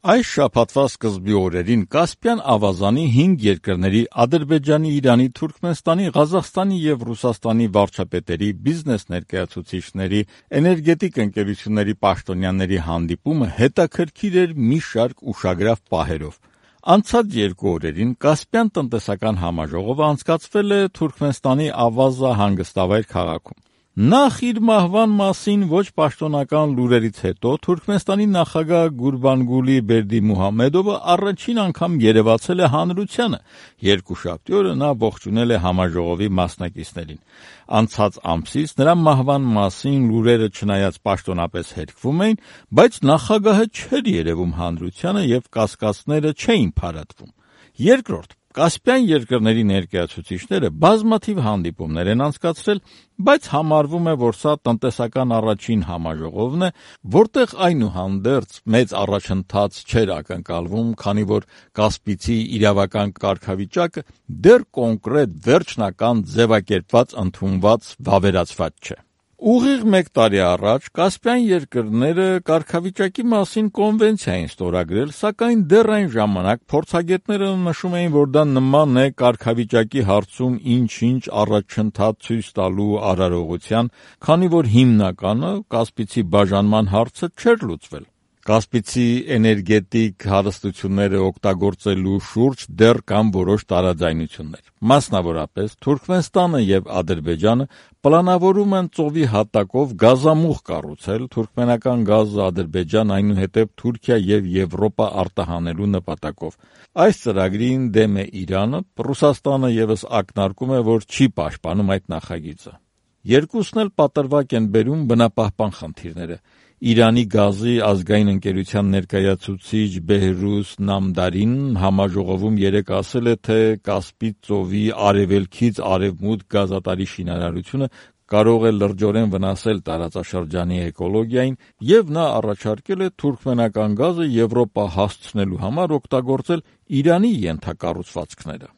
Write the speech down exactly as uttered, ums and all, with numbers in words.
Այս շաբաթվա սկզբի օրերին Կասպյան ավազանի հինգ երկրների՝ Ադրբեջանի, Իրանի, Թուրքմենստանի, Ղազախստանի և Ռուսաստանի վարչապետերի, բիզնես ներկայացուցիչների, էներգետիկ ընկերությունների պաշտոնյաների հանդիպումը հետաքրքիր էր մի շարք ուշագրավ պահերով։ Անցած երկու օրերին Կասպյան տնտեսական համաժողովը անցկացվել է Թուրքմենստանի Ավազա հանգստավայր քաղաքում։ Նախ իր մահվան մասին ոչ պաշտոնական լուրերից հետո Թուրքմենստանի նախագահ Գուրբանգուլի Բերդիմուհամեդովը առաջին անգամ երևացել է հանրությանը։ Երկուշաբթի օրը նա ողջունել է համաժողովի մասնակիցներին։ Անցած ամսից նրա մահվան մասին լուրերը չնայած պաշտոնապես հերքվում էին, բայց նախագահը չէր երևում հանրությանը և կասկածները չէին փարատվում։ Երկրորդ, Կասպյան երկրների ներկայացուցիչները բազմաթիվ հանդիպումներ են անցկացրել, բայց համարվում է, որ սա տնտեսական առաջին համաժողովն է, որտեղ այնուհանդերձ մեծ առաջընթաց չէր ակնկալվում, քանի որ Կասպիցի իրավական կարգավիճակը դեռ կոնկրետ, վերջնական, ձևակերպված, ընդունված, վավերացված չէ։ Ուղիղ մեկ տարի առաջ Կասպյան երկրները կարգավիճակի մասին կոնվենցիա էին ստորագրել, սակայն դեռ այն ժամանակ փորձագետները նշում էին, որ դա նման է կարգավիճակի հարցում ինչ-ինչ առաջընթաց ցույց տալու արարողության, քանի որ հիմնականը Կասպիցի բաժանման հարցը չէր լուծվել։ Կասպիցի էներգետիկ հարստությունները օգտագործելու շուրջ դեռ կան որոշ տարաձայնություններ։ Մասնավորապես Թուրքմենստանը և Ադրբեջանը պլանավորում են ծովի հատակով գազամուղ կառուցել, թուրքմենական գազը Ադրբեջան, այնուհետև Թուրքիա և Եվրոպա արտահանելու նպատակով։ Այս ծրագրին դեմ է Իրանը, Ռուսաստանը ևս ակնարկում է, որ չի պաշտպանում այդ նախագիծը։ Երկուսն էլ պատրվակ են բերում բնապահպան խնդիրները։ Իրանի գազի ազգային ընկերության ներկայացուցիչ Բեհրուզ Նամդարին համաժողովում երեկ ասել է, թե Կասպից ծովի արևելքից արևմուտք գազատարի շինարարությունը կարող է լրջորեն վնասել տարածաշրջանի էկոլոգիային, և նա առաջարկել է թուրքմենական գազը Եվրոպա հասցնելու համար օգտագործել Իրանի ենթակառուցվածքները։